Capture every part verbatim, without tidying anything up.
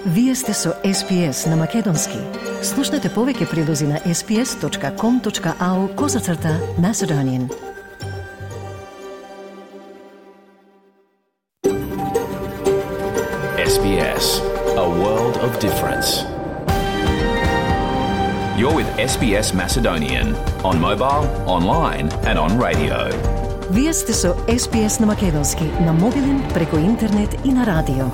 Вие сте со Ес Би Ес на Македонски. Слушнете повеќе прилози на ес би ес точка ком точка ау козацрта Macedonian. Ес Би Ес, a world of difference. You're with Ес Би Ес Macedonian on mobile, online and on radio. Вие сте со Ес Би Ес на Македонски, на мобилен, преку интернет и на радио.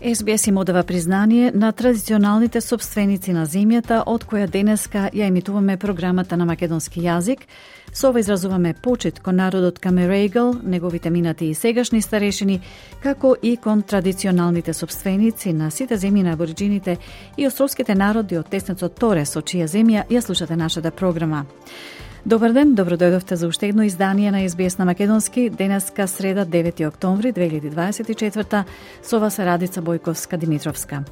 Ес Би Ес им одава признание на традиционалните собственици на земјата, од која денеска ја емитуваме програмата на македонски јазик. Со ова изразуваме почит кон народот Камерегал, неговите минати и сегашни старешини, како и кон традиционалните собственици на сите земји на абориджините и островските народи од теснецот Торе, со чија земја ја слушате нашата програма. Добар ден, добродојдовте за уште едно издание на Ес Би Ес на Македонски, денеска среда девети октомври две илјади дваесет и четврта, со вас е Радица Бојковска-Димитровска.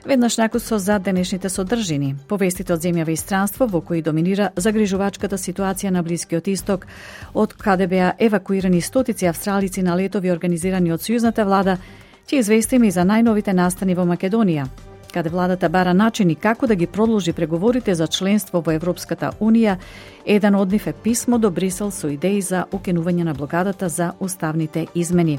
Веднаш накусо за денешните содржини. Повестите од земјава и странство во кои доминира загрижувачката ситуација на Блискиот Исток, од каде беа евакуирани стотици австралици на летови организирани од сојузната влада, ќе известиме и за најновите настани во Македонија, каде владата бара начини како да ги продолжи преговорите за членство во Европската Унија. Еден од нив е писмо до Брисел со идеи за укинување на блокадата за уставните измени.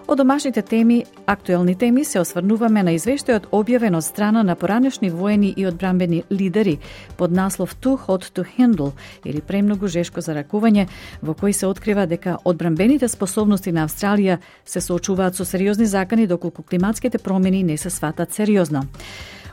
Од домашните теми, актуелни теми, се осврнуваме на извештајот објавен од страна на поранешни воени и одбранбени лидери под наслов Too Hot to Handle, или премногу жешко за ракување, во кој се открива дека одбранбените способности на Австралија се соочуваат со сериозни закани доколку климатските промени не се сватат сериозно.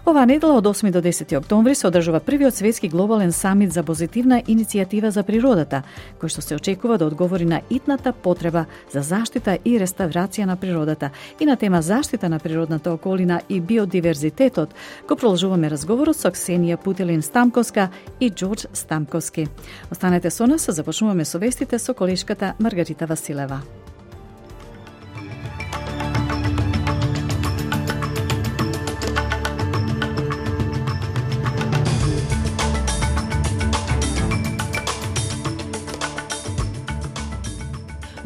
Оваа недела од осми до десети октомври се одржува првиот светски глобален самит за позитивна иницијатива за природата, кој што се очекува да одговори на итната потреба за заштита и реставрација на природата. И на тема заштита на природната околина и биодиверзитетот го продолжуваме разговорот со Ксенија Путилин-Стамковска и Џорџ Стамковски. Останете со нас, започнуваме со вестите со колешката Маргарита Василева.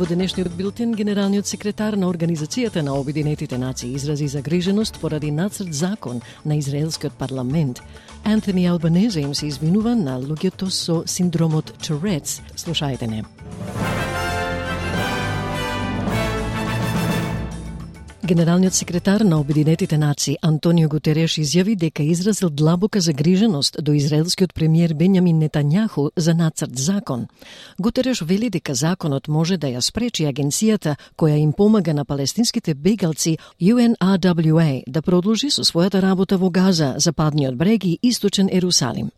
Во денешниот билтен, генералниот секретар на Организацијата на Обединетите нации изрази загриженост поради нацрт закон на израелскиот парламент. Антони Албанезе им се извинува на луѓето со синдромот Tourette's. Слушајте не. Генералниот секретар на Обединетите нации Антонио Гутереш изјави дека изразил длабока загриженост до израелскиот премиер Бенјамин Нетањаху за нацрт закон. Гутереш вели дека законот може да ја спречи агенцијата која им помага на палестинските бегалци Ю Ен Ар Дабљу Ей да продолжи со својата работа во Газа, Западниот брег и Источен Ерусалим.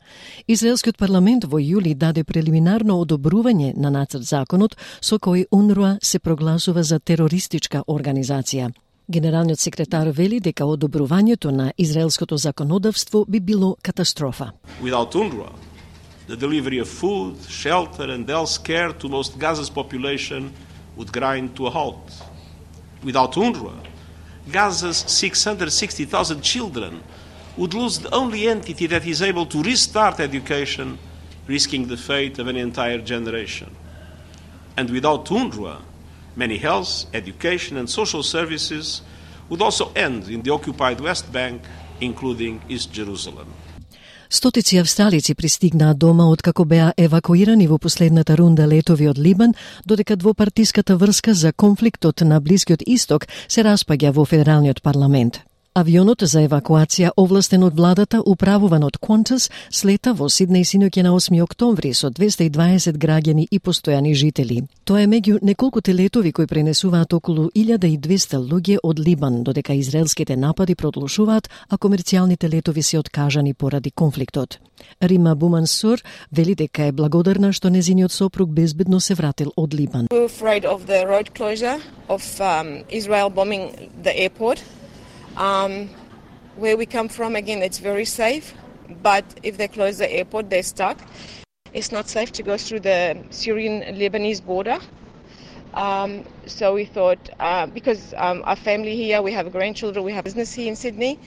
Израелскиот парламент во јули даде прелиминарно одобрување на нацрт законот со кој УНРУА се прогласува за терористичка организација. Генералниот секретар вели дека одобрувањето на израелското законодавство би било катастрофа. Without UNRWA, the delivery of food, shelter and health care to most Gaza's population would grind to a halt. Without UNRWA, Gaza's six hundred sixty thousand children would lose the only entity that is able to restart education, risking the fate of an entire generation. And without UNRWA, many health, education and social services would also end in the occupied West Bank, including East Jerusalem. Стотици австралици пристигнаа дома откако беа евакуирани во последната рунда летови од Либан, додека двопартиската врска за конфликтот на Блискиот Исток се распаѓа во федералниот парламент. Авионот за евакуација, овластен од владата, управуван од Qantas, слета во Сиднеј синоќа на осми октомври со двесте и дваесет граѓани и постојани жители. Тоа е меѓу неколкуте летови кои пренесуваат околу илјада и двесте луѓе од Либан, додека израелските напади продолжуваат, а комерцијалните летови се откажани поради конфликтот. Рима Бумансур вели дека е благодарна што незиниот сопруг безбедно се вратил од Либан. We're afraid of the road closure of um, Israel bombing the airport. Um, where we come from, again, it's very safe, but if they close the airport, they're stuck. It's not safe to go through the Syrian-Lebanese border. Um, so we thought, uh, because um, our family here, we have grandchildren, we have business here in Sydney,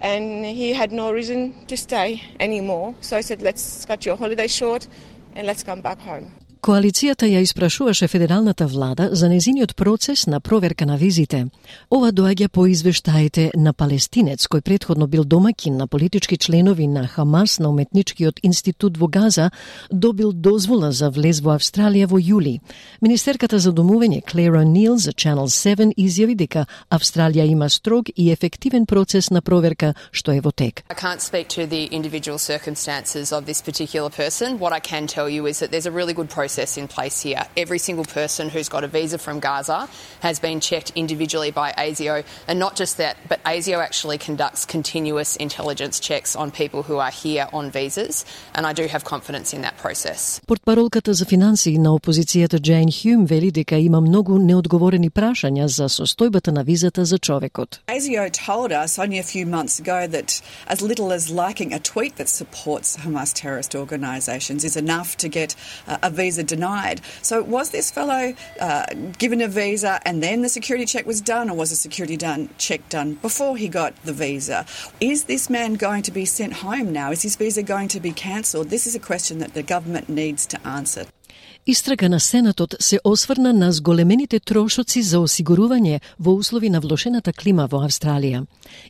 and he had no reason to stay anymore. So I said, let's cut your holiday short and let's come back home. Коалицијата ја испрашуваше федералната влада за незиниот процес на проверка на визите. Ова доаѓа по извештаите на палестинец кој претходно бил домаќин на политички членови на Хамас на уметничкиот институт во Газа, добил дозвола за влез во Австралија во јули. Министерката за домување Claire O'Neill за Channel седум изјави дека Австралија има строг и ефективен процес на проверка што е во тек. I can't speak to the individual circumstances of this particular person. What I can tell you is that there's a really good process in place here. Every single person who's got a visa from Gaza has been checked individually by A S I O, and not just that, but A S I O actually conducts continuous intelligence checks on people who are here on visas, and I do have confidence in that process. Портпаролката за финансии на опозицијата Джейн Хјум вели дека има многу неодговорени прашања за состојбата на визата за човекот. A S I O told us only a few months ago that as little as liking a tweet that supports Hamas terrorist organisations is enough to get uh, a visa denied. So was this fellow uh, given a visa and then the security check was done, or was the security done, check done before he got the visa? Is this man going to be sent home now? Is his visa going to be cancelled? This is a question that the government needs to answer. Истрага на Сенатот се осврна на зголемените трошоци за осигурување во услови на влошената клима во Австралија.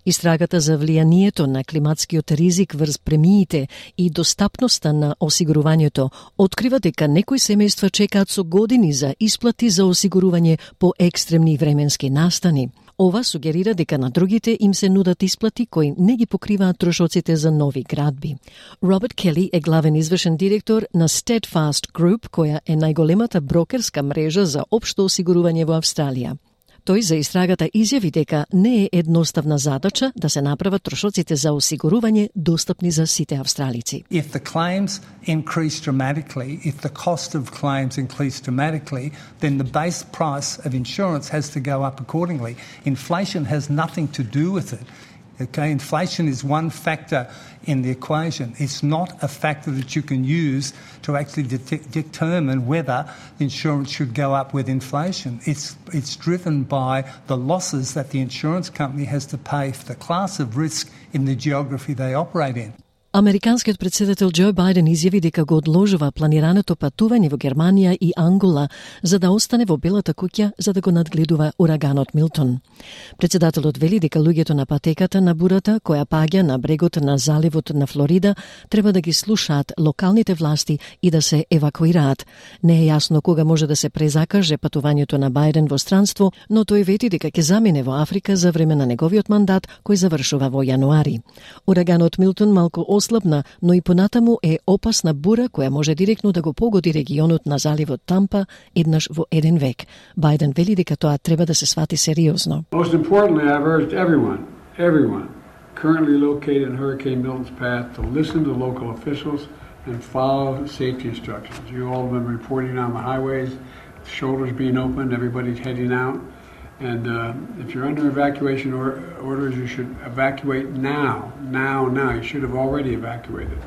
Истрагата за влијанието на климатскиот ризик врз премиите и достапноста на осигурувањето открива дека некои семејства чекаат со години за исплати за осигурување по екстремни временски настани. Ова сугерира дека на другите им се нудат исплати кои не ги покриваат трошоците за нови градби. Роберт Кели е главен извршен директор на Steadfast Group, која е најголемата брокерска мрежа за општо осигурување во Австралија. Тој за истрагата изјави дека не е едноставна задача да се направат трошоците за осигурување достапни за сите австралици. If the claims increase dramatically, if the cost of claims increase dramatically, then the base price of insurance has to go up accordingly. Inflation has nothing to do with it. Okay, inflation is one factor in the equation. It's not a factor that you can use to actually de- determine whether insurance should go up with inflation. It's it's driven by the losses that the insurance company has to pay for the class of risk in the geography they operate in. Американскиот претседател Џо Бајден изјави дека го одложува планираното патување во Германија и Ангола за да остане во Белата куќа за да го надгледува ураганот Милтон. Претседателот вели дека луѓето на патеката на бурата која паѓа на брегот на заливот на Флорида треба да ги слушаат локалните власти и да се евакуираат. Не е јасно кога може да се презакаже патувањето на Бајден во странство, но тој вети дека ќе замине во Африка за време на неговиот мандат кој завршува во јануари. Ураганот Милтон малку ослабна, но и понатаму е опасна бура која може директно да го погоди регионот на заливот Тампа еднаш во еден век. Бајден вели дека тоа треба да се свати сериозно. Most importantly, I've urged everyone, everyone currently located in Hurricane Milton's path to listen to local officials and follow safety instructions. You all have been reporting on the highways, the shoulders being opened, everybody's heading out. And uh, if you're under evacuation or orders, you should evacuate now, now, now. You should have already evacuated.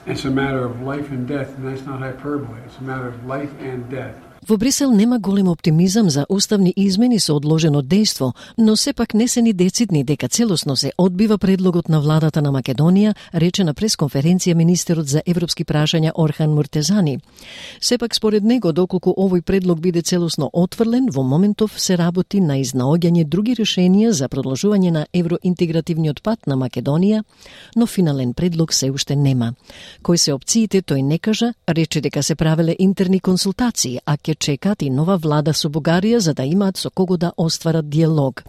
It's a matter of life and death, and that's not hyperbole. It's a matter of life and death. Во Брисел нема голем оптимизам за уставни измени со одложено дејство, но сепак не се ни децидни дека целосно се одбива предлогот на владата на Македонија, рече на пресконференција министерот за европски прашања Орхан Муртезани. Сепак според него, доколку овој предлог биде целосно отфрлен, во моментов се работи на изнаоѓање други решенија за продолжување на евроинтегративниот пат на Македонија, но финален предлог се уште нема. Кои се опциите, тој не кажа, рече дека се правеле интерни консултации, а ќе чекат и нова влада со Бугарија за да имаат со кого да остварат диалог.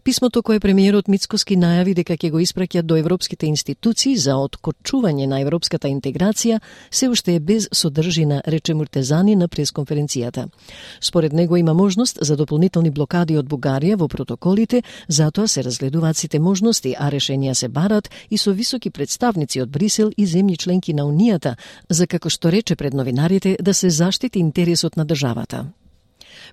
Писмото кое премиерот Мицкоски најави дека ќе го испраќа до европските институции за откочување на европската интеграција се уште е без содржина, рече Муртезани на пресконференцијата. Според него има можност за дополнителни блокади од Бугарија во протоколите, затоа се разгледуваат сите можности, а решенија се барат и со високи представници од Брисел и земји членки на Унијата, за како што рече пред новинарите да се заштити интересот на државата.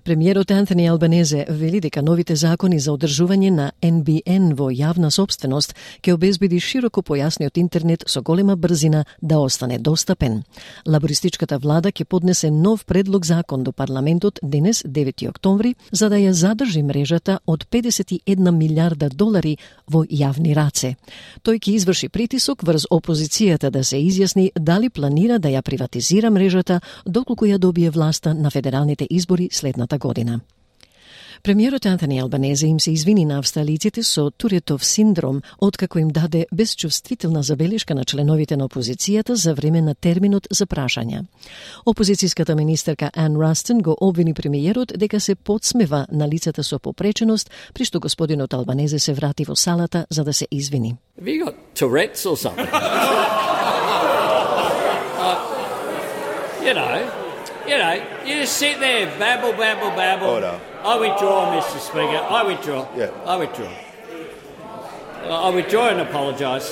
Премиерот Антони Албанезе вели дека новите закони за одржување на Ен Би Ен во јавна собственост ќе обезбеди широко појасниот интернет со голема брзина да остане достапен. Лабористичката влада ќе поднесе нов предлог закон до парламентот денес, девети октомври, за да ја задржи мрежата од педесет и една милиарда долари во јавни раце. Тој ќе изврши притисок врз опозицијата да се изјасни дали планира да ја приватизира мрежата доколку ја добие власта на федералните избори следната година. Премиерот Антони Албанезе им се извини на австралиците со Туретов синдром, откако им даде безчувствителна забелешка на членовите на опозицијата за време на терминот за прашања. Опозицијската министерка Ан Растен го обвини премиерот дека се подсмева на лицата со попреченост, при што господинот Албанезе се врати во салата за да се извини. Have you got Tourette's or something? uh, you know, you know, you just sit there, babble, babble, babble. Order. I withdraw, Mister Speaker. I withdraw. Yeah. I withdraw. I withdraw and apologise.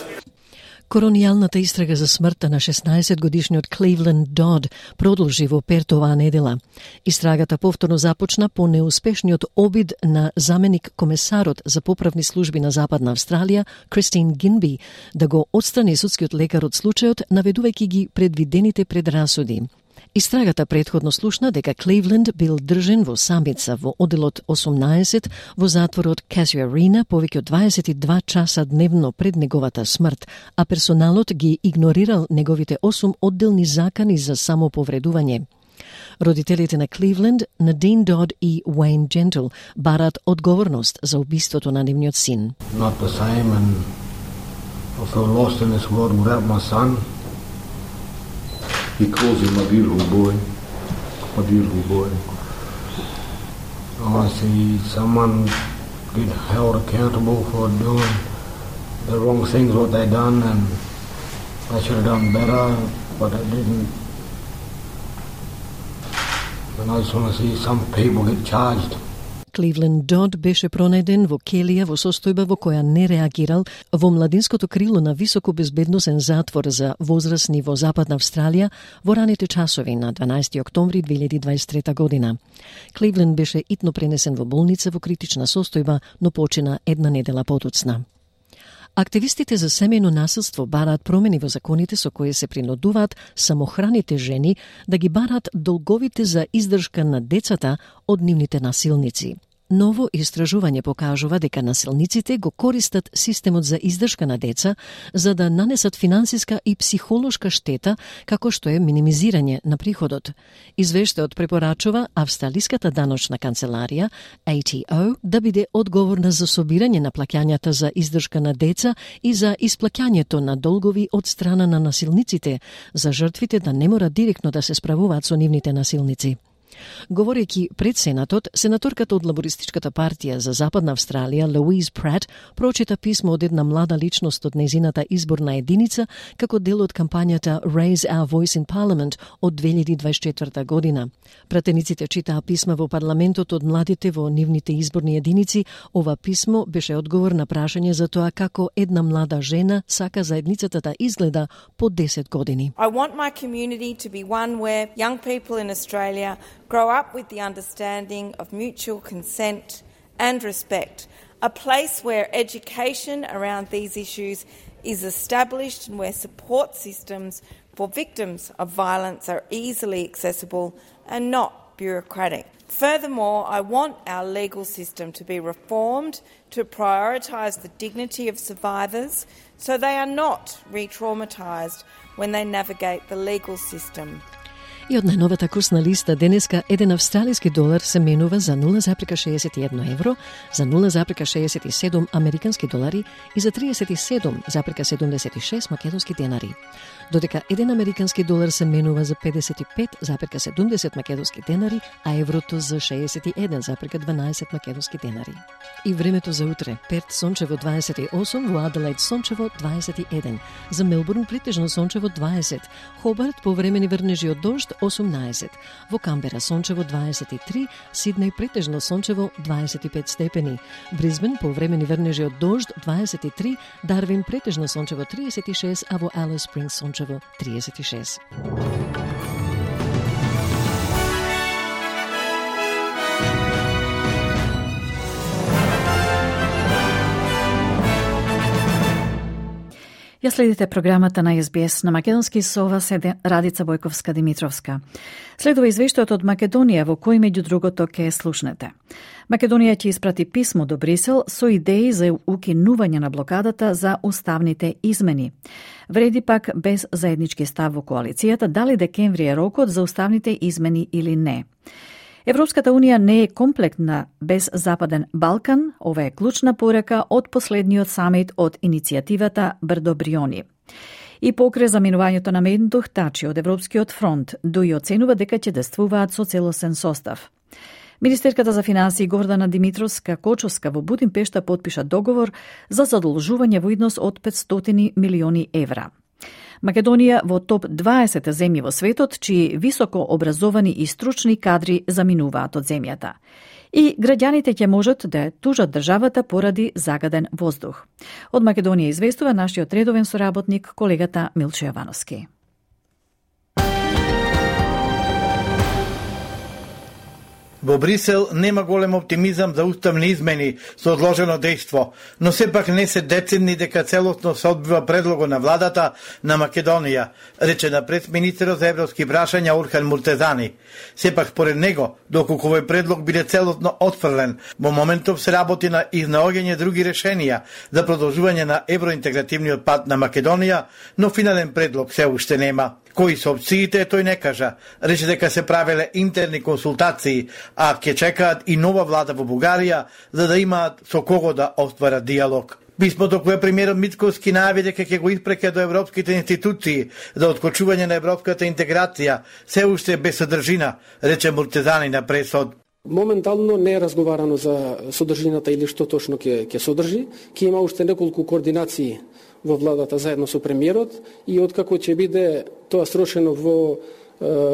Коронијалната истрага за смртта на шеснаесет годишниот Кливленд Дод продолжи во Перт оваа недела. Истрагата повторно започна по неуспешниот обид на заменик комесарот за поправни служби на Западна Австралија, Кристин Гинби, да го отстрани судскиот лекар од случајот, наведувајќи ги предвидените предрасуди. Истрагата претходно слушна дека Кливленд бил држен во самица во оделот осумнаесет во затворот Casuarina повеќе од дваесет и два часа дневно пред неговата смрт, а персоналот ги игнорирал неговите осум одделни закани за самоповредување. Родителите на Кливленд, Надин Дод и Уейн Джентл, барат одговорност за убиството на нивниот син. Not the same, and I feel lost in this world without my son. He calls him my beautiful boy, my beautiful boy. I see someone get held accountable for doing the wrong things, what they done, and they should have done better, but they didn't. And I just want to see some people get charged. Кливленд Дод беше пронајден во келија во состојба во која не реагирал во младинското крило на високо безбедносен затвор за возрастни во Западна Австралија во раните часови на дванаесети октомври две илјади дваесет и трета година. Кливленд беше итно пренесен во болница во критична состојба, но почина една недела потоцна. Активистите за семејно насилство бараат промени во законите со кои се принудуваат самохраните жени да ги бараат долговите за издржка на децата од нивните насилници. Ново истражување покажува дека насилниците го користат системот за издршка на деца за да нанесат финансиска и психолошка штета, како што е минимизирање на приходот. Извештајот препорачува Австралиската даночна канцеларија, А Т О, да биде одговорна за собирање на плаќањата за издршка на деца и за исплаќањето на долгови од страна на насилниците, за жртвите да не мора директно да се справуваат со нивните насилници. Говорејќи пред Сенатот, сенаторката од Лабористичката партија за Западна Австралија, Луиз Прат, прочита писмо од една млада личност од нејзината изборна единица како дел од кампањата Raise Our Voice in Parliament од две илјади дваесет и четврта година. Пратениците читаа писма во парламентот од младите во нивните изборни единици. Ова писмо беше одговор на прашање за тоа како една млада жена сака заедницата да изгледа по десет години. I want my community to be one where young people in Australia grow up with the understanding of mutual consent and respect, a place where education around these issues is established and where support systems for victims of violence are easily accessible and not bureaucratic. Furthermore, I want our legal system to be reformed to prioritise the dignity of survivors so they are not re-traumatised when they navigate the legal system. И од најновата курсна листа денеска еден австралиски долар се менува за нула запирка шеесет и едно евро, за нула запирка шеесет и седум американски долари и за триесет и седум запирка седумдесет и шест македонски денари. Додека еден американски долар се менува за педесет и пет запирка седумдесет македонски денари, а еврото за шеесет и еден запирка дванаесет македонски денари. И времето за утре: Перт сончево дваесет и осум, во Аделаид сончево дваесет и еден, за Мелбурн претежно сончево дваесет, Хобарт повремени врнежи од дожд осумнаесет, во Камбера сончево дваесет и три, Сиднеј претежно сончево дваесет и пет степени, Брисбен повремени врнежи од дожд дваесет и три, Дарвин претежно сончево триесет и шест, а во Алис Спрингс сончево триесет и шест. Ја следите програмата на Ес Би Ес на македонски со ова седе Радица Бојковска-Димитровска. Следува извештајот од Македонија во кој меѓу другото ќе слушнете. Македонија ќе испрати писмо до Брисел со идеи за укинување на блокадата за уставните измени. Вреди пак без заеднички став во коалицијата дали декември е рокот за уставните измени или не. Европската унија не е комплектна без Западен Балкан, ова е клучна порака од последниот самит од иницијативата Брдо Бриони. И покрај заминувањето на Мендух, Тачи од Европскиот фронт, Дуи оценува дека ќе действуваат со целосен состав. Министерката за финансии Гордана Димитровска-Кочовска во Будимпешта потпиша договор за задолжување во износ од петстотини милиони евра. Македонија во топ дваесет земји во светот, чии високо образовани и стручни кадри заминуваат од земјата. И граѓаните ќе можат да тужат државата поради загаден воздух. Од Македонија известува нашиот редовен соработник, колегата Милчо Јовановски. Во Брисел нема голем оптимизам за уставни измени со одложено дејство, но сепак не се децидни дека целосно се одбива предлого на владата на Македонија, рече на пресминистерот за европски прашања Орхан Муртезани. Сепак според него, доколку овој предлог биде целосно отфрлен, во моментов се работи на изнаоѓање други решенија за продолжување на евроинтегративниот пат на Македонија, но финален предлог се уште нема. Кои се опциите, тој не кажа. Рече дека се правеле интерни консултации, а ќе чекаат и нова влада во Бугарија, за да имаат со кого да остварат диалог. Писмото кое премиерот Мицковски најави дека ќе го испреке до европските институции за откочување на европската интеграција, се уште е без содржина, рече Муртезани на пресод. Моментално не е разговарано за содржината или што точно ќе ќе содржи, ќе има уште неколку координации во владата заедно со премиерот и откако ќе биде тоа срошено во е,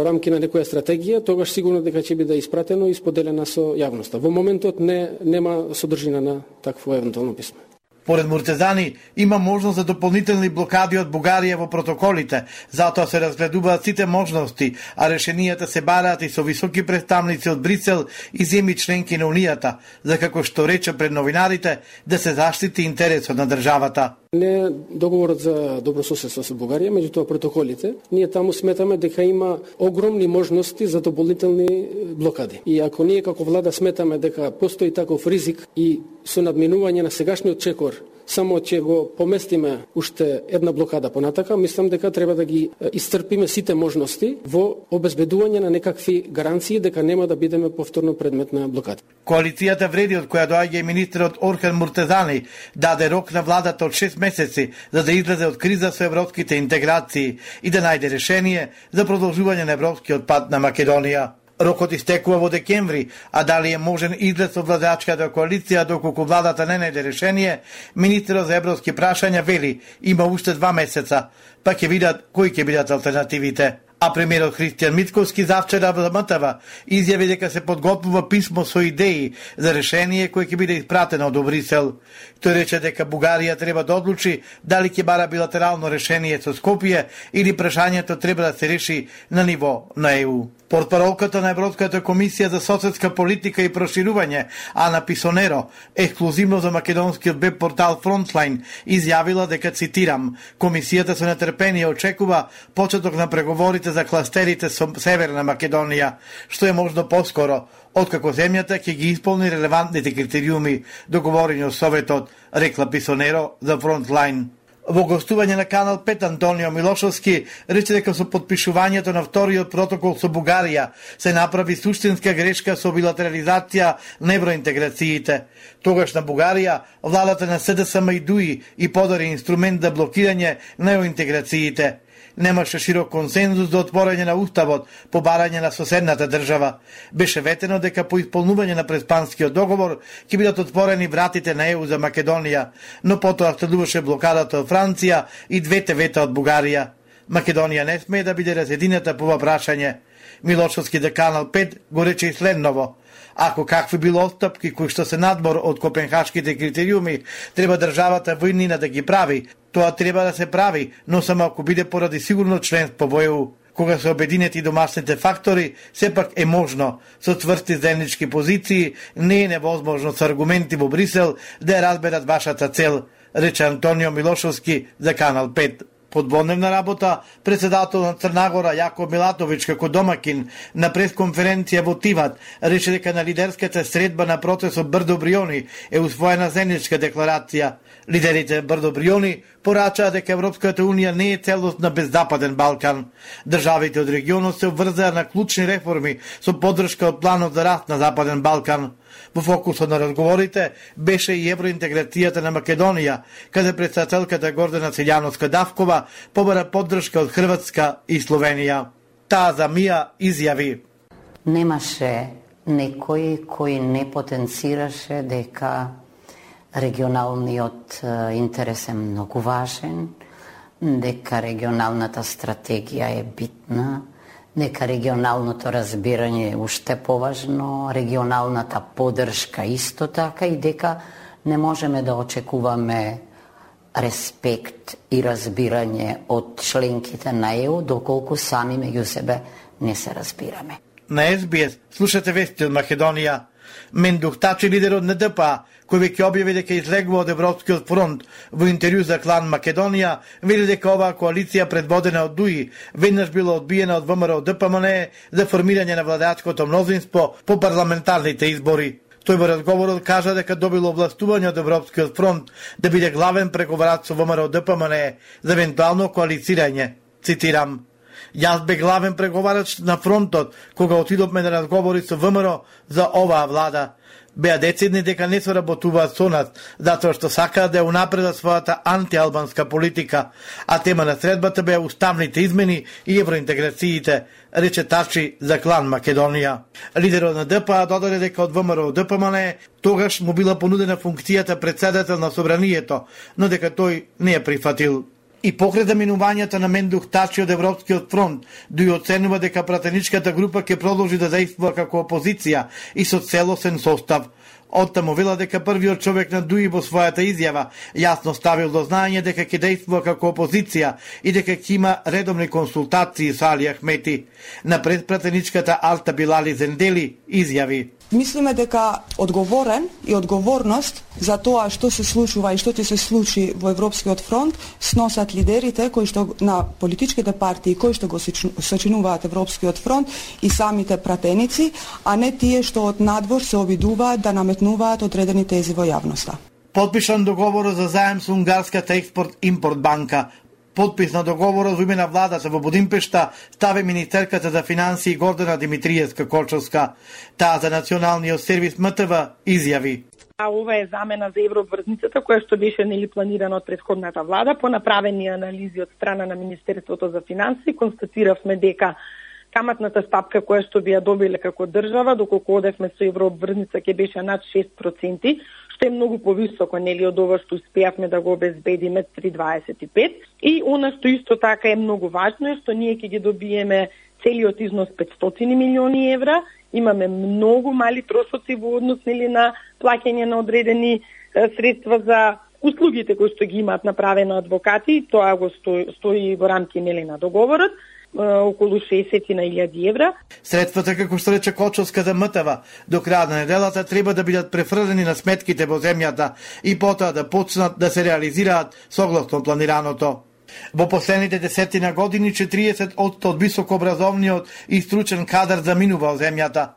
рамки на некоја стратегија, тогаш сигурно дека ќе биде испратено и споделена со јавноста. Во моментот не нема содржина на такво евентуално писмо. Поред Муртезани, има можност за дополнителни блокади од Бугарија во протоколите, затоа се разгледуваат сите можности, а решенијата се бараат и со високи представници од Брисел и земји членки на Унијата, за како што рече пред новинарите, да се заштити интересот на државата. Не договорот за добрососедство со Бугарија, меѓутоа протоколите, ние таму сметаме дека има огромни можности за дополнителни блокади. И ако ние како влада сметаме дека постои таков ризик и со надминување на сегашниот чекор, само ќе го поместиме уште една блокада понатака, мислам дека треба да ги исцрпиме сите можности во обезбедување на некакви гаранции дека нема да бидеме повторно предмет на блокада. Коалицијата вреди од која доаѓа и министерот Орхан Муртезани даде рок на владата од шест месеци за да излезе од криза со европските интеграции и да најде решение за продолжување на европскиот пат на Македонија. Рокот истекува во декември, а дали е можен излез од владачката коалиција доколку владата не најде решение, министерот за европски прашања вели има уште два месеца, па ќе видат кои ќе бидат алтернативите. А премиерот Христијан Мицковски завчера во М Т В изјави дека се подготвува писмо со идеи за решение кој ќе биде испратено до Брисел. Тој рече дека Бугарија треба да одлучи дали ќе бара билатерално решение со Скопје или прашањето треба да се реши на ниво на Е У. Портпаролката на Европската комисија за соседска политика и проширување, Ана Писонеро, ексклузивно за македонскиот веб портал Frontline, изјавила дека, цитирам, комисијата со нетрпение очекува почеток на преговорите за кластерите со Северна Македонија, што е можно поскоро, откако земјата ќе ги исполни релевантните критериуми договорени од Советот, рекла Писонеро за Frontline. Во гостување на Канал пет Антонио Милошовски рече дека со подпишувањето на вториот протокол со Бугарија се направи суштинска грешка со билатерализација на евроинтеграциите. Тогаш на Бугарија владата на С Д С М и Дуи и подари инструмент за блокирање на евроинтеграциите. Немаше широк консензус за отворање на уставот по барање на соседната држава. Беше ветено дека по исполнување на преспанскиот договор ќе бидат отворени вратите на Е У за Македонија, но потоа следуваше блокадата од Франција и двете вета од Бугарија. Македонија не смее да биде разединета по ова прашање. Милошовски де Канал пет го рече и следново. Ако какви било отстапки кои што се надбор од копенхашките критериуми, треба државата во иднина да ги прави. Тоа треба да се прави, но само ако биде поради сигурно членство во Е У. Кога се обединети домашните фактори, сепак е можно, со тврсти заеднички позиции, не е невозможно со аргументи во Брисел да ја разберат вашата цел, рече Антонио Милошовски за Канал пет. Подводневна работа, председател на Црнагора Јаков Милатовиќ како домакин на пресконференција во Тиват рече дека на лидерската средба на процесот Брдо Бриони е усвоена заедничка декларација. Лидерите Брдо Бриони порачаа дека Европската унија не е целосна без Западен Балкан. Државите од регионот се обврзаа на клучни реформи со поддршка од планот за раст на Западен Балкан. Во фокусот на разговорите беше и евроинтеграцијата на Македонија, каде председателката Гордана Селјановска-Давкова побара поддршка од Хрватска и Словенија. Таа за Мија изјави: Немаше некој кој не потенцираше дека регионалниот интерес е многу важен, дека регионалната стратегија е битна, дека регионалното разбирање е уште поважно, регионалната поддршка исто така и дека не можеме да очекуваме респект и разбирање од членките на Е У доколку сами меѓу себе не се разбираме. На Ес Би Ес слушате вести од Македонија. Мендух Тачи, лидерот на Д П А, кој веќе објави дека излегува од Европскиот фронт во интервју за Клан Македонија, вели дека оваа коалиција предводена од Дуи веднаш била одбиена од Вэ Ем Р Д П М Н Е за формирање на владачкото мнозинство по парламентарните избори. Тој во разговорот кажа дека добило овластување од Европскиот фронт да биде главен преговарач со Вэ Ем Р Д П М Н Е за евентуално коалицирање. Цитирам: Јас бе главен преговарач на фронтот кога отидовме на разговори со Вэ Ем Р за оваа влада. Беа децидни дека не соработуваат со нас, затоа што сакаат да ја унапредат својата антиалбанска политика, а тема на средбата беа уставните измени и евроинтеграциите, рече Тачи за Клан Македонија. Лидерот на Д П А додаде дека од Вэ Ем Р Д П М Н Е тогаш му била понудена функцијата председател на Собранието, но дека тој не ја прифатил. И покрај заминувањето на Мендух Тачи од Европскиот фронт, Дуи оценува дека пратеничката група ќе продолжи да действува како опозиција и со целосен состав. Оттаму вела дека првиот човек на Дуи во својата изјава јасно ставил до знаење дека ќе действува како опозиција и дека ќе има редовни консултации со Али Ахмети. На предпратеничката Алта Билали Зендели изјави: Мислиме дека одговорен и одговорност за тоа што се случува и што ќе се случи во Европскиот фронт сносат лидерите кои што на политичките партии кои што го сочинуваат Европскиот фронт и самите пратеници, а не тие што од надвор се обидуваат да наметнуваат одредени тези во јавноста. Подпишан договорот за заем со унгарската експорт-импорт банка. Подпис на договорот во име на владата во Будимпешта стави министерката за финансии Гордана Димитриевска-Кочовска. Таа за националниот сервис М Т В изјави: Ова е замена за еврообврзницата која што беше нели планирана од претходната влада. По направени анализи од страна на Министерството за финансии констатиравме дека каматната стапка која што би ја добиле како држава доколку одевме со еврообврзница ќе беше над шест проценти, што е многу повисоко нели од ова што успеавме да го обезбедиме три дваесет и пет. И она што исто така е многу важно е што ние ќе ги добиеме целиот износ петстотини милиони евра. Имаме многу мали трошоци во однос нели на плаќање на одредени е, средства за услугите кои што ги имаат направено адвокати. Тоа го стои, стои во рамки нели на договорот, околу шеесет илјади евра. Средствата, како што рече Кочовска за М Т В, до крајот на неделата треба да бидат префрлени на сметките во земјата и потоа да почнат да се реализираат согласно планираното. Во последните десетина години четириесет одсто од високообразовниот и стручен кадар заминува од земјата.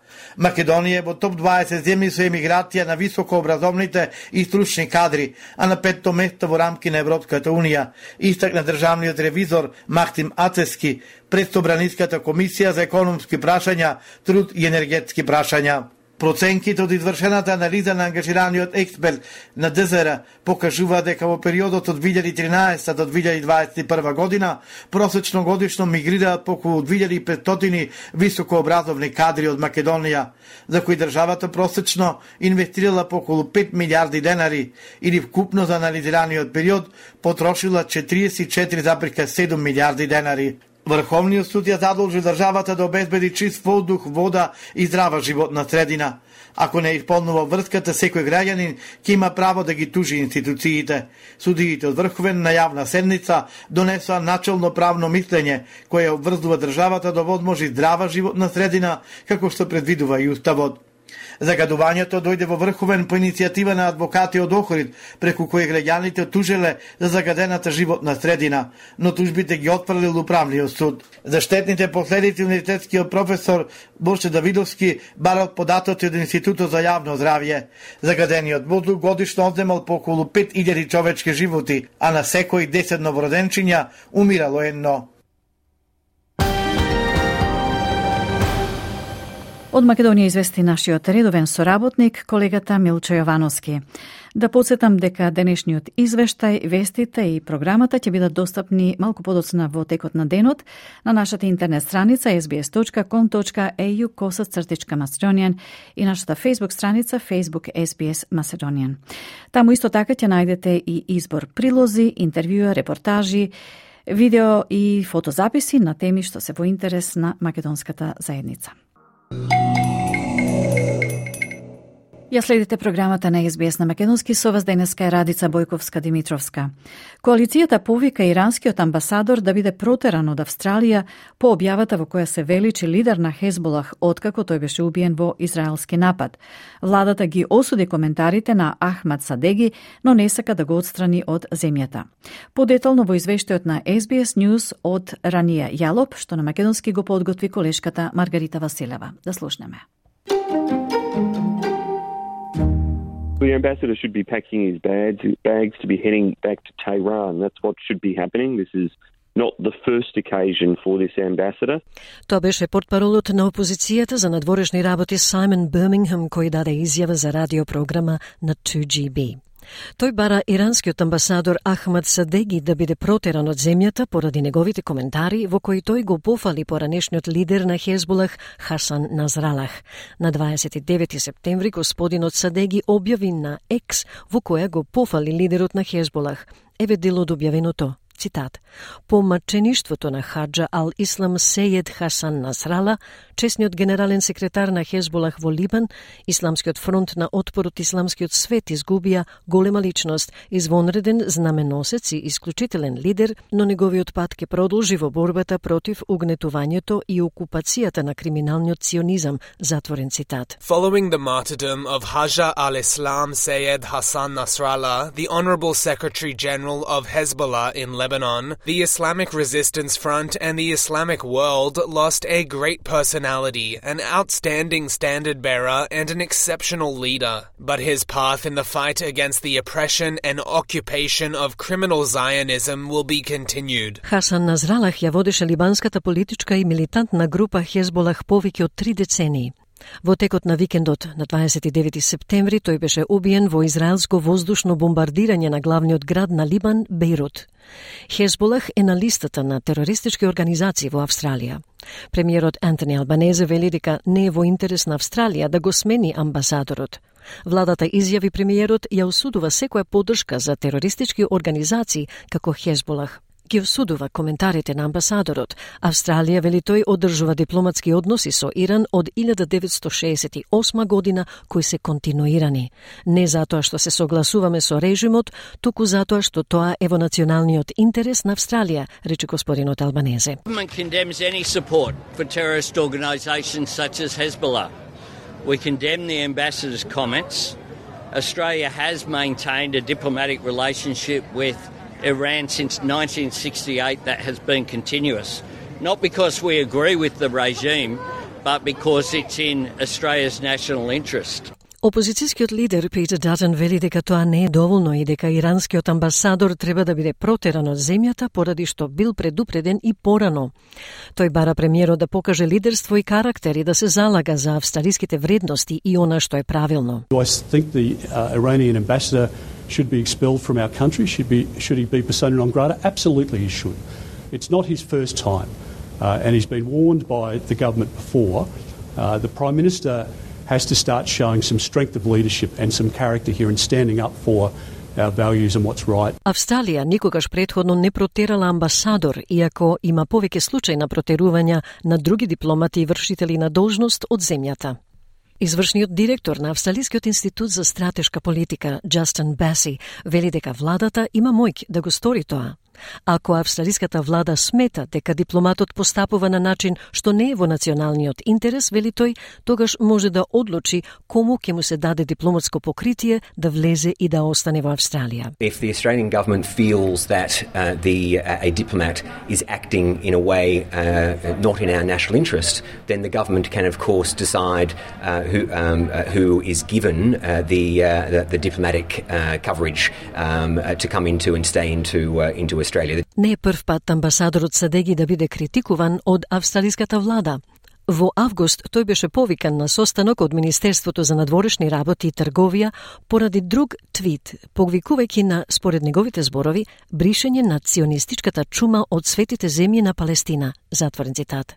Македонија е во топ дваесет земји со емиграција на високообразовните и стручни кадри, а на петто место во рамки на Европската унија, истакна државниот ревизор Махтим Ацески пред Собраниската комисија за економски прашања, труд и енергетски прашања. Проценките од извршената анализа на ангажираниот експерт на Д З Р покажува дека во периодот од две илјади и тринаесета до две илјади дваесет и прва година просечно годишно мигрираат по околу две илјади и петстотини високообразовни кадри од Македонија, за кои државата просечно инвестирала по околу пет милиарди денари или вкупно за анализираниот период потрошила четириесет и четири зарез седум милиарди денари. Врховниот суд ја задолжи државата да обезбеди чист воздух, вода и здрава животна средина. Ако не исполнува врската, секој граѓанин ќе има право да ги тужи институциите. Судиите од Врховен на јавна седница донесоа начелно правно мислење кое обврзува државата да возможи здрава животна средина, како што предвидува и уставот. Загадувањето дојде во врховен по иницијатива на адвокати од Охрид, преку кои граѓаните тужеле за загадената животна средина, но тужбите ги отфрлил управниот суд. За штетните последици универзитетскиот професор Борче Давидовски барал податоци од Институтот за јавно здравје. Загадениот воздух годишно одземал по околу пет илјади човечки животи, а на секој десет новороденчиња умирало едно. Од Македонија извести нашиот редовен соработник, колегата Милчо Јовановски. Да подсетам дека денешниот извештај, вестите и програмата ќе бидат достапни малку подоцна во текот на денот на нашата интернет страница ес би ес точка ком точка ей ю косацртичка Macedonian и нашата Facebook страница Facebook ес би ес Macedonian. Таму исто така ќе најдете и избор прилози, интервјуа, репортажи, видео и фотозаписи на теми што се во интерес на македонската заедница. Ја следите програмата на ес би ес на македонски, со вас денеска е Радица Бојковска-Димитровска. Коалицијата повика иранскиот амбасадор да биде протеран од Австралија по објавата во која се вели че лидер на Хезболах откако тој беше убиен во израелски напад. Владата ги осуди коментарите на Ахмад Садеги, но не сака да го отстрани од земјата. Подетално во извештајот на ес би ес News од Рания Јалоп, што на македонски го подготви колешката Маргарита Василева. Да слушнеме. The ambassador should be packing his bags, bags to be heading back to Tehran. That's what should be happening. This is not the first occasion for this ambassador. Тоа беше портпаролот на опозицијата за надворешни работи Саймон Бирмингем, кој даде изјава за радиопрограма на two G B. Тој бара иранскиот амбасадор Ахмад Садеги да биде протеран од земјата поради неговите коментари во кои тој го пофали поранешниот лидер на Хезболах Хасан Назралах. На дваесет и девети септември господинот Садеги објави на Екс во која го пофали лидерот на Хезболах. Еве дел од објавеното. Цитат: по мачеништвото на Хаджа ал-Ислам Сејед Хасан Насрала, чесниот генерален секретар на Хезболах во Либан, Исламскиот фронт на отпор од исламскиот свет изгубија голема личност, извонреден знаменосец и исклучителен лидер, но неговиот пат ќе продолжи во борбата против угнетувањето и окупацијата на криминалниот сионизам. Затворен цитат. Following the martyrdom of Haja al-Islam Seyed Hassan Nasrallah, the Honorable Secretary General of Hezbollah in Lebanon, the Islamic Resistance Front and the Islamic world lost a great personality, an outstanding standard bearer and an exceptional leader. But his path in the fight against the oppression and occupation of criminal Zionism will be continued. Хасан Назралах ја водеше либанската политичка и милитантна група Хезболах повеќе од три децении. Во текот на викендот на дваесет и девети септември тој беше убиен во израелско воздушно бомбардирање на главниот град на Либан, Бејрут. Хезболах е на листата на терористички организации во Австралија. Премиерот Антони Албанезе вели дека не е во интерес на Австралија да го смени амбасадорот. Владата изјави премиерот ја осудува секоја поддршка за терористички организации како Хезболах. Ги осудува коментарите на амбасадорот. Австралија, вели тој, одржува дипломатски односи со Иран од илјада деветстотини шеесет и осма година кои се континуирани. Не затоа што се согласуваме со режимот, туку затоа што тоа е во националниот интерес на Австралија, рече господинот Албанезе. Government condemns any support for terrorist organisations such as Hezbollah. We condemn the ambassador's comments. Australia has maintained a diplomatic relationship with Iran since nineteen sixty-eight that has been continuous. Not because we agree with the regime, but because it's in Australia's national interest. Опозицијскиот лидер Питер Датон вели дека тоа не е доволно и дека иранскиот амбасадор треба да биде протеран од земјата поради што бил предупреден и порано. Тој бара премиерот да покаже лидерство и карактер и да се залага за австралиските вредности и она што е правилно. I think the uh, Iranian ambassador should be expelled from our country. Should be should he be persona non grata? Absolutely, he should. It's not his first time, uh, and he's been warned by the government before. Uh, the Prime Minister has to start showing some strength of leadership and some character here and standing up for our values and what's right. Австралија никогаш претходно не протерала амбасадор, иако има повеќе случаи на протерувања на други дипломати и вршители на должност од земјата. Извршниот директор на Австралискиот институт за стратешка политика, Джастин Баси, вели дека владата има моќ да го стори тоа. Ако австралиската влада смета дека дипломатот постапува на начин што не е во националниот интерес, вели тој, тогаш може да одлучи кому ќе му се даде дипломатско покритие да влезе и да остане во Австралија. If the Australian government feels that uh, the uh, a diplomat is acting in a way uh, not in our national interest, then the government can of course decide uh, who um, uh, who is given uh, the, uh, the the diplomatic uh, coverage um, uh, to come into and stay into uh, into Australia. Не е прв пат амбасадорот Садеги да биде критикуван од австралиската влада. Во август тој беше повикан на состанок од Министерството за надворешни работи и трговија поради друг твит, повикувајќи на, според неговите зборови, бришење на ционистичката чума од светите земји на Палестина. Затворен цитат.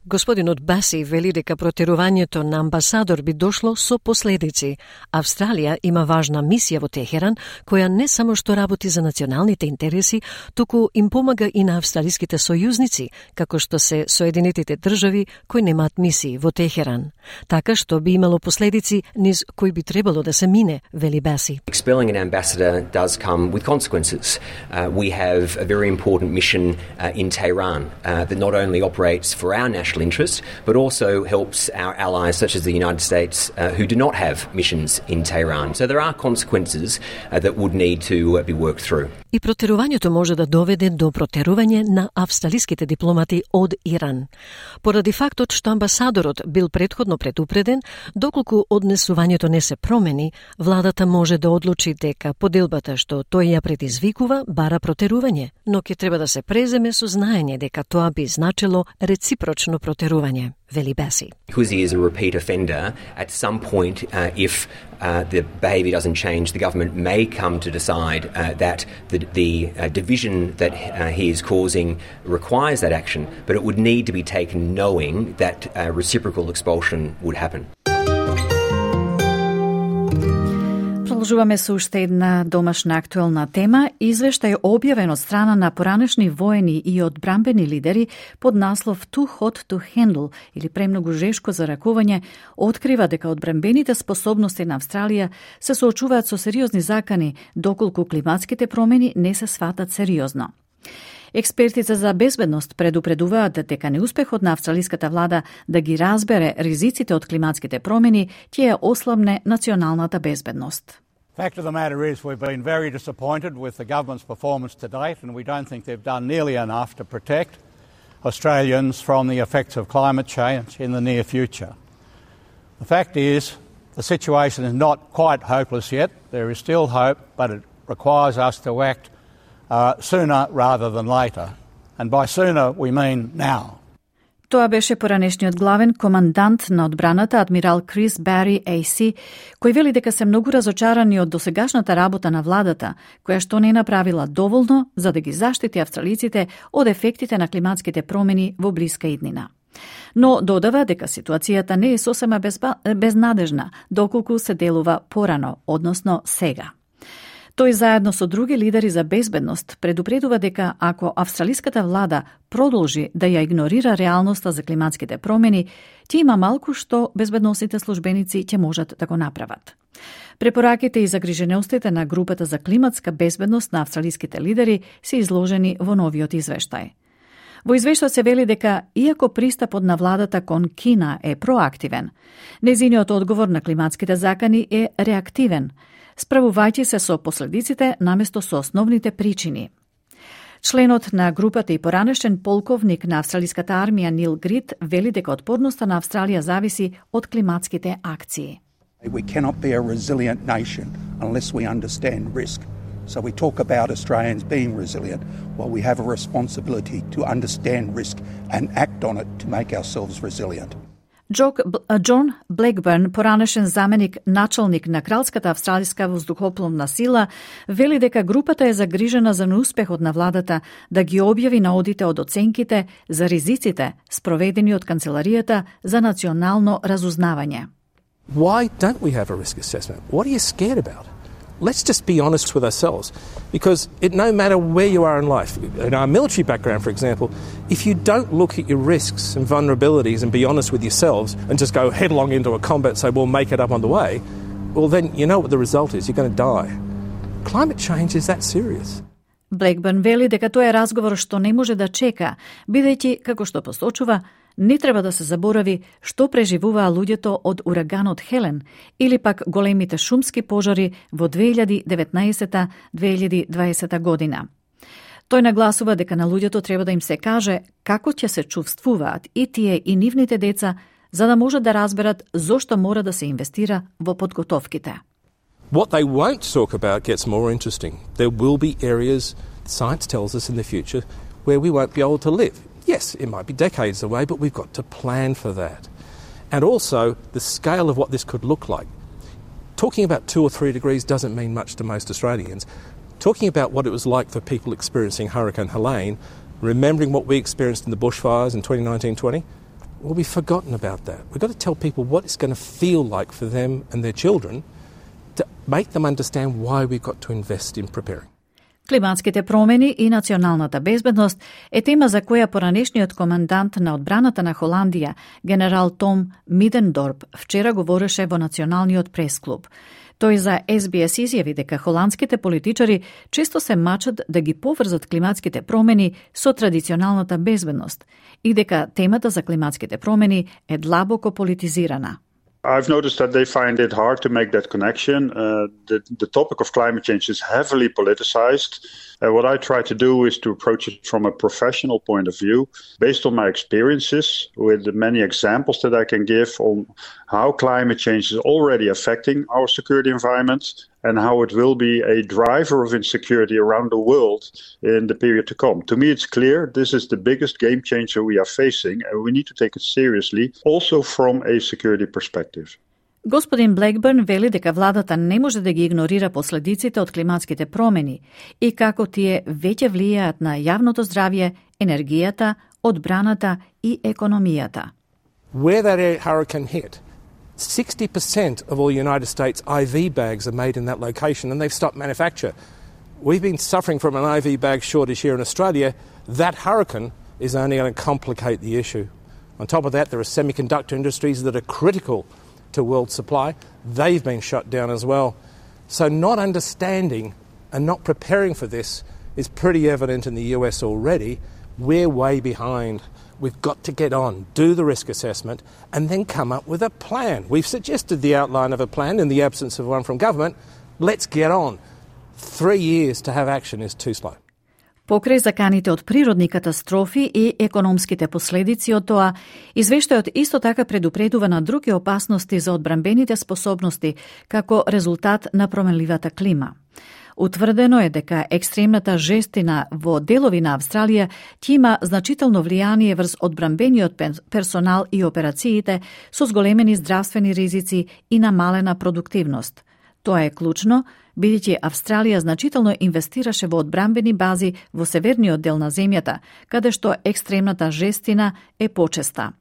Господинот Баси вели дека протерувањето на амбасадор би дошло со последици. Австралија има важна мисија во Техеран, која не само што работи за националните интереси, туку им помага и на австралиските сојузници, како што се Соединетите држави кои немаат мисии во Техеран. Така што би имало последици низ кои би требало да се мине, вели Баси. Expelling an ambassador does come with consequences. Uh, we have a very important mission uh, in Tehran uh, that not only operates for our national interest, but also helps our allies such as the United States uh, who do not have missions in Tehran. So there are consequences uh, that would need to uh, be worked through. И протерувањето може да доведе до протерување на австралиските дипломати од Иран. Поради фактот што амбасадорот бил претходно предупреден, доколку однесувањето не се промени, владата може да одлучи дека поделбата што тој ја предизвикува бара протерување, но ќе треба да се преземе со знаење дека тоа би значило реципрочно протерување, вели Баси. Because he is a repeat offender, at some point, uh, if uh, the behaviour doesn't change, the government may come to decide uh, that the, the uh, division that uh, he is causing requires that action, but it would need to be taken knowing that uh, reciprocal expulsion would happen. Продолжуваме со уште една домашна актуелна тема. Извештај објавен од страна на поранешни воени и одбранбени лидери под наслов Too Hot to Handle или премногу жешко за ракување, открива дека одбранбените способности на Австралија се соочуваат со сериозни закани доколку климатските промени не се сватат сериозно. Експертите за безбедност предупредуваат дека неуспехот на австралиската влада да ги разбере ризиците од климатските промени ќе ја ослабне националната безбедност. Fact of the matter is we've been very disappointed with the government's performance to date, and we don't think they've done nearly enough to protect Australians from the effects of climate change in the near future. The fact is the situation is not quite hopeless yet. There is still hope, but it requires us to act uh, sooner rather than later. And by sooner we mean now. Тоа беше поранешниот главен командант на одбраната, адмирал Крис Бари Ей Си, кој вели дека се многу разочарани од досегашната работа на владата, која што не направила доволно за да ги заштити австралиците од ефектите на климатските промени во блиска иднина. Но додава дека ситуацијата не е сосема безба... безнадежна, доколку се делува порано, односно сега. Тој заедно со други лидери за безбедност предупредува дека ако австралиската влада продолжи да ја игнорира реалноста за климатските промени, ќе има малку што безбедносните службеници ќе можат да го направат. Препораките и загриженостите на групата за климатска безбедност на австралиските лидери се изложени во новиот извештај. Во извештајот се вели дека, иако пристапот на владата кон Кина е проактивен, незиниот одговор на климатските закани е реактивен, справувајќи се со последиците наместо со основните причини. Членот на групата и поранешен полковник на австралиската армија Нил Грит вели дека отпорноста на Австралија зависи од климатските акции. We cannot be a resilient nation unless we understand risk. So we talk about Australians being resilient, while we have a responsibility to understand risk and act on it to make ourselves resilient. Џон Блекбърн, поранешен заменик началник на Кралската австралиска воздухопловна сила, вели дека групата е загрижена за неуспехот на владата да ги објави наодите од оценките за ризиците спроведени од Канцеларијата за национално разузнавање. Why don't we have a risk assessment? What are you scared about? Let's just be honest with ourselves, because it, no matter where you are in life, in our military background, for example, if you don't look at your risks and vulnerabilities and be honest with yourselves and just go headlong into a combat and say, we'll make it up on the way, well, then you know what the result is. You're going to die. Climate change is that serious. Блекбърн вели дека тоа е разговор што не може да чека, бидејќи, како што посочува, не треба да се заборави што преживуваа луѓето од ураганот Хелен или пак големите шумски пожари во две илјади и деветнаесета - две илјади и дваесета година. Тој нагласува дека на луѓето треба да им се каже како ќе се чувствуваат и тие и нивните деца, за да можат да разберат зошто мора да се инвестира во подготовките. What they won't talk about gets more interesting. There will be areas, science tells us in the future, where we won't be able to live. Yes, it might be decades away, but we've got to plan for that. And also, the scale of what this could look like. Talking about two or three degrees doesn't mean much to most Australians. Talking about what it was like for people experiencing Hurricane Helene, remembering what we experienced in the bushfires in twenty nineteen twenty, well, we've forgotten about that. We've got to tell people what it's going to feel like for them and their children to make them understand why we've got to invest in preparing. Климатските промени и националната безбедност е тема за која поранешниот командант на одбраната на Холандија, генерал Том Мидендорп, вчера говореше во Националниот пресклуб. Тој за Ес Би Ес изјави дека холандските политичари често се мачат да ги поврзат климатските промени со традиционалната безбедност и дека темата за климатските промени е длабоко политизирана. I've noticed that they find it hard to make that connection. Uh, the, the topic of climate change is heavily politicized. Uh, what I try to do is to approach it from a professional point of view, based on my experiences, with the many examples that I can give on how climate change is already affecting our security environment and how it will be a driver of insecurity around the world in the period to come. To me, it's clear this is the biggest game changer we are facing, and we need to take it seriously, also from a security perspective. Господин Блекбърн вели дека владата не може да ги игнорира последиците од климатските промени и како тие веќе влијаат на јавното здравје, енергијата, одбраната и економијата. Where that hurricane hit, sixty percent of all United States I V bags are made in that location and they've stopped manufacture. We've been suffering from an I V bag shortage here in Australia. That hurricane is only going to complicate the issue. On top of that, there are semiconductor industries that are critical to world supply. They've been shut down as well. So not understanding and not preparing for this is pretty evident in the U S already. We're way behind. We've got to get on, do the risk assessment, and then come up with a plan. We've suggested the outline of a plan in the absence of one from government. Let's get on. Three years to have action is too slow. Покрај заканите од природни катастрофи и економските последици од тоа, извештајот исто така предупредува на други опасности за одбранбените способности како резултат на променливата клима. Утврдено е дека екстремната жестина во делови на Австралија ќе има значително влијание врз одбранбениот персонал и операциите со зголемени здравствени ризици и намалена продуктивност. Тоа е клучно, бидејќи Австралија значително инвестираше во одбранбени бази во северниот дел на земјата, каде што екстремната жестина е почеста.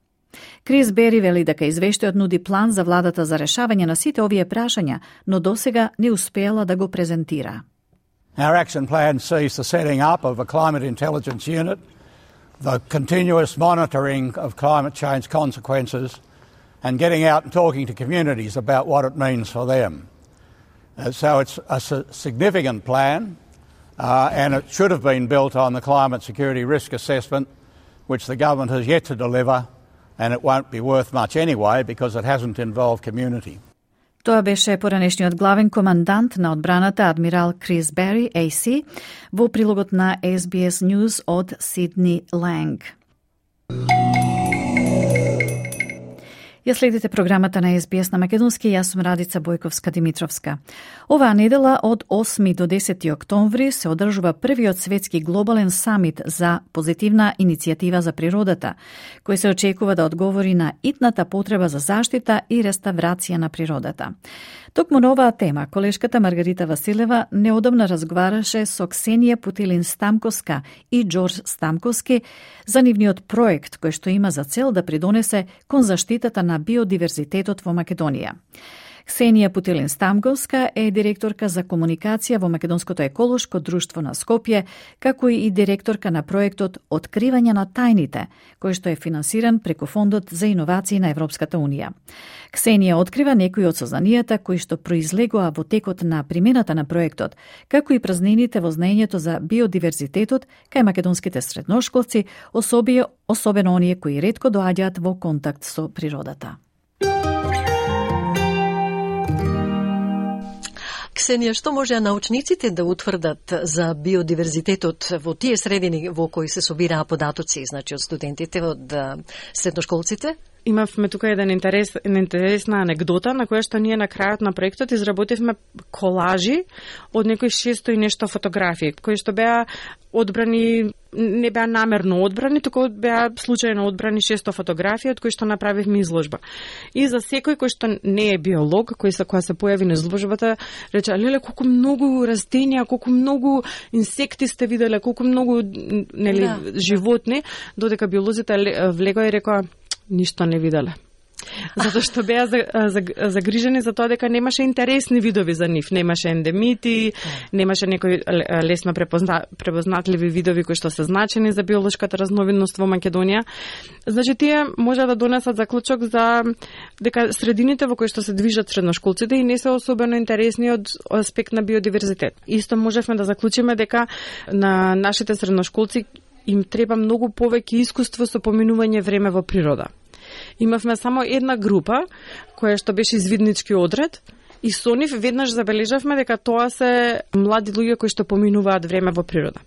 Крис Бери вели дека извештајот нуди план за владата за решавање на сите овие прашања, но досега не успеала да го презентира. Our action plan sees the setting up of a climate intelligence unit, the continuous monitoring of climate change consequences, and getting out and talking to communities about what it means for them. Uh, so it's a significant plan, uh, and it should have been built on the climate security risk assessment, which the government has yet to deliver, and it won't be worth much anyway because it hasn't involved community. Тоа беше поранешниот главен командант на одбраната адмирал Крис Бери, Ей Си, во прилогот на Ес Би Ес News од Сидни Ланг. Ја следите програмата на Ес Би Ес на македонски, јас сум Радица Бојковска-Димитровска. Оваа недела од осми до десети октомври се одржува првиот светски глобален самит за позитивна иницијатива за природата, кој се очекува да одговори на итната потреба за заштита и реставрација на природата. Токму на оваа тема, колешката Маргарита Василева неодамна разговараше со Ксенија Путилин-Стамковска и Џорџ Стамковски за нивниот проект кој што има за цел да придонесе кон заштитата на биодиверзитетот во Македонија. Ксенија Путилин-Стамговска е директорка за комуникација во Македонското еколошко друштво на Скопје, како и директорка на проектот Откривање на тајните, кој што е финансиран преку Фондот за иновации на Европската Унија. Ксенија открива некои од сознанијата кои што произлегоа во текот на примената на проектот, како и празнините во знаењето за биодиверзитетот кај македонските средношколци, особи, особено оние кои ретко доаѓаат во контакт со природата. Ксенија, што можеа научниците да утврдат за биодиверзитетот во тие средини во кои се собираа податоци, значи од студентите, од средношколците? Имавме тука еден интерес, интересна анегдота на која што ние на крајот на проектот изработивме колажи од некои шесто и нешто фотографии, кои што беа одбрани, не беа намерно одбрани, туку беа случајно одбрани шесто фотографии од кои што направивме изложба. И за секој кој што не е биолог, кој се која се појави на изложбата, рече: "Леле, колку многу растенија, колку многу инсекти сте виделе, колку многу, нели, да, животни", додека биолозите влегоа и рекоа: "Ништо не виделе." Затоа што беа загрижени за тоа дека немаше интересни видови за нив, немаше ендемити, немаше некои лесно препозна, препознатливи видови кои што се значени за биолошката разновидност во Македонија. Значи тие може да донесат заклучок за дека средините во кои што се движат средношколците и не се особено интересни од аспект на биодиверзитет. Исто можевме да заклучиме дека на нашите средношколци им треба многу повеќе искуство со поминување време во природа. Имавме само една група која што беше извиднички одред и со нив веднаш забележавме дека тоа се млади луѓе кои што поминуваат време во природа.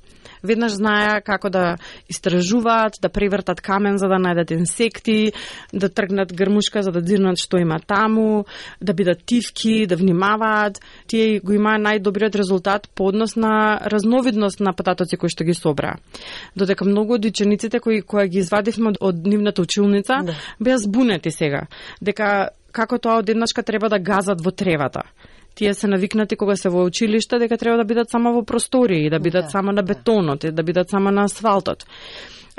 Веднаш знаеа како да истражуваат, да превртат камен за да најдат инсекти, да тргнат грмушка за да дзирнат што има таму, да бидат тивки, да внимаваат. Тие го имаа најдобриот резултат по однос на разновидност на податоци кои што ги собраа. Додека многу од учениците кои кои ги извадивме од, од нивната училница, да, беа збунети сега, дека како тоа одеднашка треба да газат во тревата. Тие се навикнати кога се во училиште дека треба да бидат само во простории, да бидат да, само на бетонот, да бидат само на асфалтот.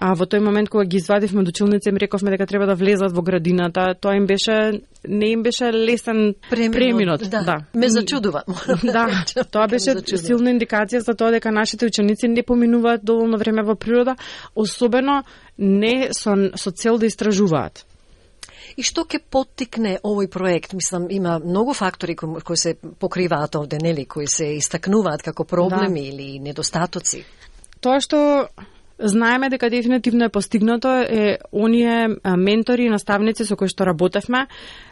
А во тој момент кога ги извадивме од училница им рековме дека треба да влезат во градината, тоа им беше не им беше лесен преминот. преминот да. да. Ме зачудува. Да, тоа беше силна индикација за тоа дека нашите ученици не поминуваат доволно време во природа, особено не со, со цел да истражуваат. И што ќе поттикне овој проект? Мислам, има многу фактори кои, кои се покриваат овде, нели, кои се истакнуваат како проблеми, да, или недостатоци. Тоа што знаеме дека дефинитивно е постигнато е оние ментори и наставници со кои што работевме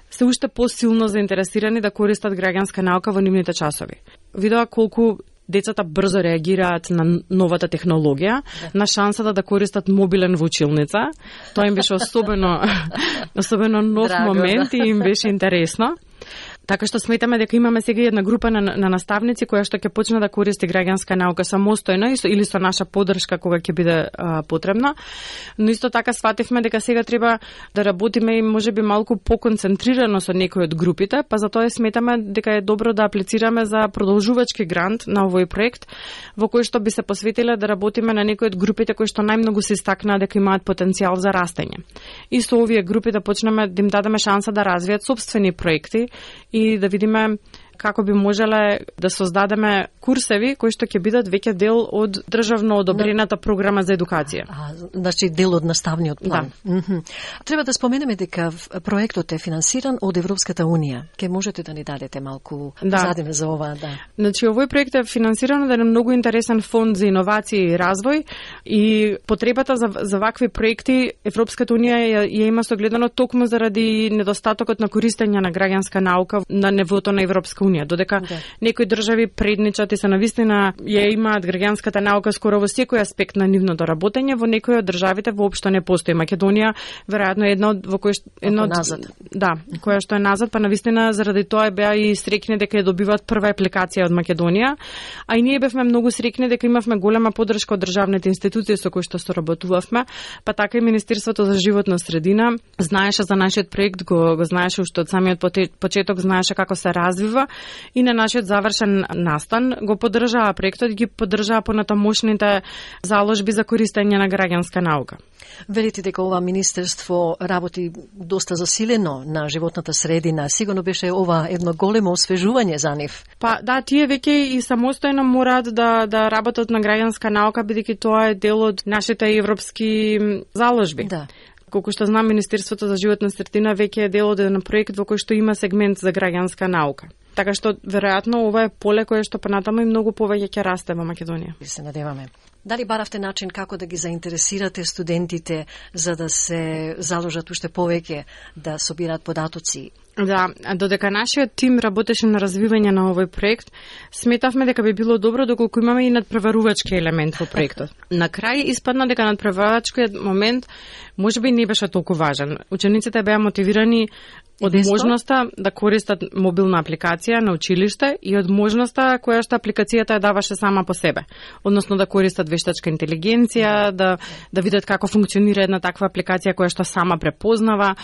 се уште посилно заинтересирани да користат граѓанска наука во нивните часови. Видоа колку децата брзо реагираат на новата технологија, да, на шансата да користат мобилен во училница. Тоа им беше особено особено нов Драго, момент да, и им беше интересно. Така што сметаме дека имаме сега една група на, на наставници која што ќе почне да користи граѓанска наука самостојно или со наша поддршка кога ќе биде а, потребно. Но исто така свативме дека сега треба да работиме и можеби малку поконцентрирано со некои од групите, па затоа сметаме дека е добро да аплицираме за продолжувачки грант на овој проект во кој што би се посветиле да работиме на некои од групите кои што најмногу се истакнаа дека имаат потенцијал за растење. И со овие групи да почнеме да им дадеме шанса да развијат собствени проекти и да видиме како би можеле да создадеме курсеви кои што ќе бидат веќе дел од државно одобрената програма за едукација. А, значи дел од наставниот план. Да. Mm-hmm. Треба да споменеме дека проектот е финансиран од Европската Унија. Ке можете да ни дадете малку да, задиме за ова, да. Значи овој проект е финансиран од еден многу интересен фонд за иновации и развој и потребата за за вакви проекти Европската Унија ја, ја има согледано токму заради недостатокот на користење на граѓанска наука на нивото на Европска Унија, додека да, некои држави предничат и се навистина ја имаат граѓанската наука скоро во секој аспект на нивното работење, во некои од државите воопшто не постои. Македонија веројатно е една од во кој едно од, да, која што е назад, па навистина заради тоа беа и среќни дека ја добиваат прва апликација од Македонија, а и ние бевме многу среќни дека имавме голема поддршка од државните институции со кои што соработувавме, па така и Министерството за животна средина знаеше за нашиот проект, го, го знаеше уште од самиот почеток, знаеше како се развива и на нашиот завршен настан го поддржаа проектот, ги поддржаа понатамошните заложби за користење на граѓанска наука. Велите дека ова министерство работи доста засилено на животната средина. Сигурно беше ова едно големо освежување за нив. Па да, тие веќе и самостојно мораат да да работат на граѓанска наука, бидејќи тоа е дел од нашите европски заложби. Да. Колку што знам, Министерството за животна средина веќе е дел од еден проект во кој што има сегмент за граѓанска наука. Така што веројатно ова е поле кое што понатаму и многу повеќе ќе расте во Македонија. Се надеваме. Дали баравте начин како да ги заинтересирате студентите за да се заложат уште повеќе да собираат податоци? Да, додека нашиот тим работеше на развивање на овој проект, сметавме дека би било добро доколку имаме и надпреварувачки елемент во проектот. На крај испадна дека надпреварувачкиот момент можеби не беше толку важен. Учениците беа мотивирани од можноста да користат мобилна апликација на училиште и од можноста која што апликацијата ја даваше сама по себе. Односно да користат вештачка интелигенција, да да видат како функционира една таква апликација која што сама препознава,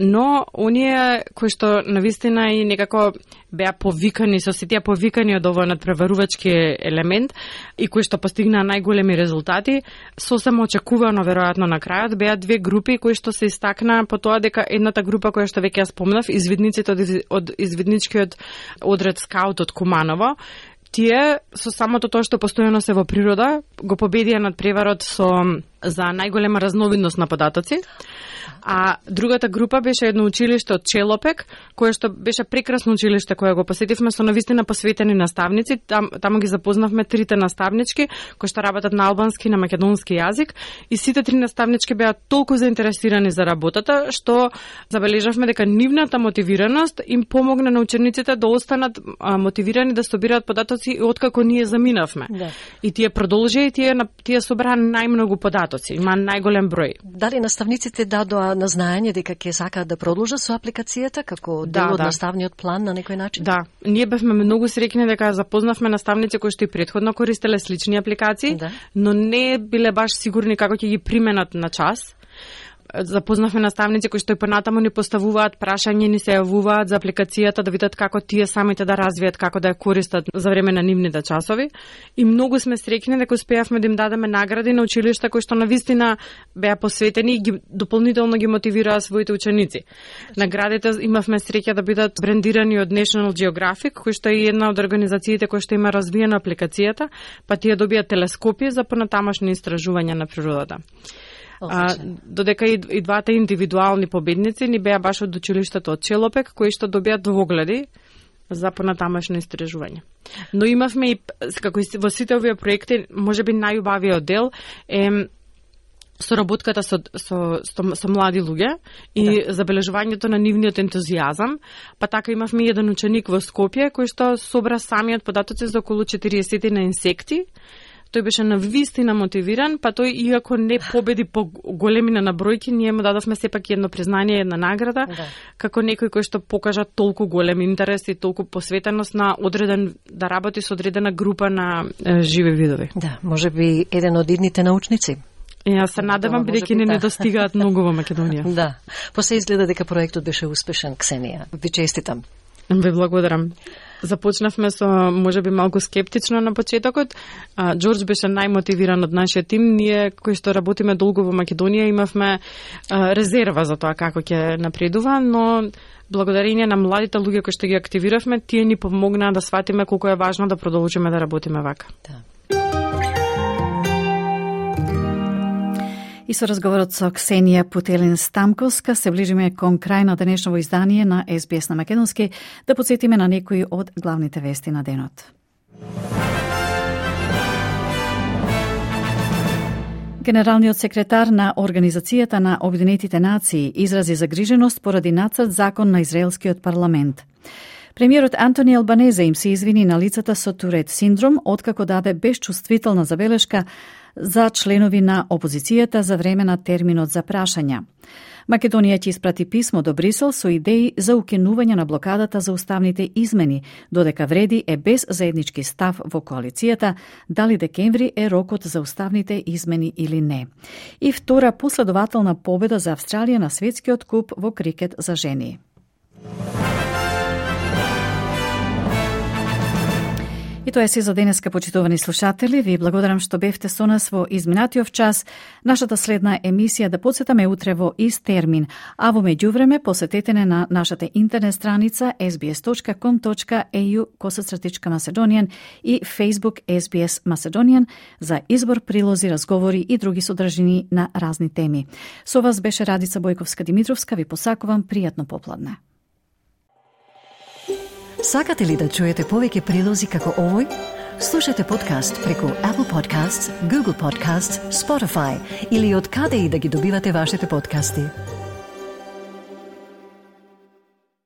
но оние кои што навистина и некако беа повикани, со сите повикани од овој надпреварувачки елемент и кои што постигнаа најголеми резултати, сосем очекувано веројатно на крајот беа две групи кои што се истакнаа по тоа дека едната група која што веќе ја спомнав, извидниците од, од извидничкиот одред скаут од Куманово, тие со самото тоа што постојано се во природа го победија над преварот со за најголема разновидност на податоци. А другата група беше едно училиште од Челопек, кое што беше прекрасно училиште кое го посетивме со навистина посветени наставници. Там, таму ги запознавме трите наставнички кои што работат на албански и на македонски јазик и сите три наставнички беа толку заинтересирани за работата што забележавме дека нивната мотивираност им помогна на учениците да останат а, мотивирани да собираат податоци и откако ние заминавме. Да. И тие продолжија и тие тие собраа најмногу податоци, има најголем број. Дали наставниците дадоа на знаење дека ќе сакаат да продолжат со апликацијата како дел да, од да. наставниот план на некој начин? Да, ние бевме многу среќни дека запознавме наставници кои што и претходно користеле слични апликации, да. Но не биле баш сигурни како ќе ги применат на час. Запознавме наставници кои што и понатаму ни поставуваат прашања, ни се јавуваат за апликацијата да видат како тие самите да развијат, како да ја користат за време на нивните часови. И многу сме среќни дека успеавме да им дадеме награди на училишта кои што навистина беа посветени и ги дополнително ги мотивираа своите ученици. Наградите имавме среќа да бидат брендирани од National Geographic, кој што е една од организациите кои што има развиена апликацијата, па тие добија телескопи за понатамошни истражувања на природата. А, додека и, и двата индивидуални победници ни беа баш од училиштето од Челопек, кои што добија двогледи за понатамошно истражување. Но имавме и, како и во сите овие проекти, можеби најубавиот дел е соработката со, со, со, со млади луѓе и да. Забележувањето на нивниот ентузијазам, па така имавме еден ученик во Скопје кој што собра самиот податоци за околу четириесет на инсекти. Тој беше навистина мотивиран, па тој иако не победи по големина на бројки, ние му дадовме сепак едно признание, една награда, да. Како некој кој што покажа толку голем интерес и толку посветеност на одреден, да работи со одредена група на е, живи видови. Да, можеби еден од идните научници. Јас се надевам, бидејќи не недостигаат многу во Македонија. Да, после изгледа дека проектот беше успешен, Ксенија. Ви честитам. Ви благодарам. Започнавме со можеби малку скептично на почетокот. А, Џорџ беше најмотивиран од нашиот тим. Ние кои што работиме долго во Македонија имавме а, резерва за тоа како ќе напредува, но благодарение на младите луѓе кои што ги активиравме, тие ни помогнаа да сватиме колку е важно да продолжиме да работиме вака. Да. И со разговорот со Ксенија Путелин-Стамковска се ближиме кон крај на денешново издание на Ес Би Ес на Македонски, да подсетиме на некои од главните вести на денот. Генералниот секретар на Организацијата на Обединетите нации изрази загриженост поради нацрт закон на израелскиот парламент. Премиерот Антони Албанезе им се извини на лицата со Турет синдром, откако даде безчувствителна забелешка за членови на опозицијата за време на терминот за прашања. Македонија ќе испрати писмо до Брисел со идеи за укинување на блокадата за уставните измени, додека вреди е без заеднички став во коалицијата дали декември е рокот за уставните измени или не. И втора последователна победа за Австралија на светскиот куп во крикет за жени. тоа е се за денеска, почитувани слушатели. Ви благодарам што бевте со нас во изминатиот час. Нашата следна емисија да подсетаме утре во ист термин, а во меѓувреме посетете не на нашата интернет страница ес би ес точка ком точка е ю косацртичка Macedonian и Facebook ес би ес Macedonian за избор, прилози, разговори и други содржини на разни теми. Со вас беше Радица Бојковска-Димитровска. Ви посакувам пријатно попладне. Сакате ли да чуете повеќе прилози како овој? Слушате подкаст преку Apple Podcasts, Google Podcasts, Spotify или од каде и да ги добивате вашите подкасти.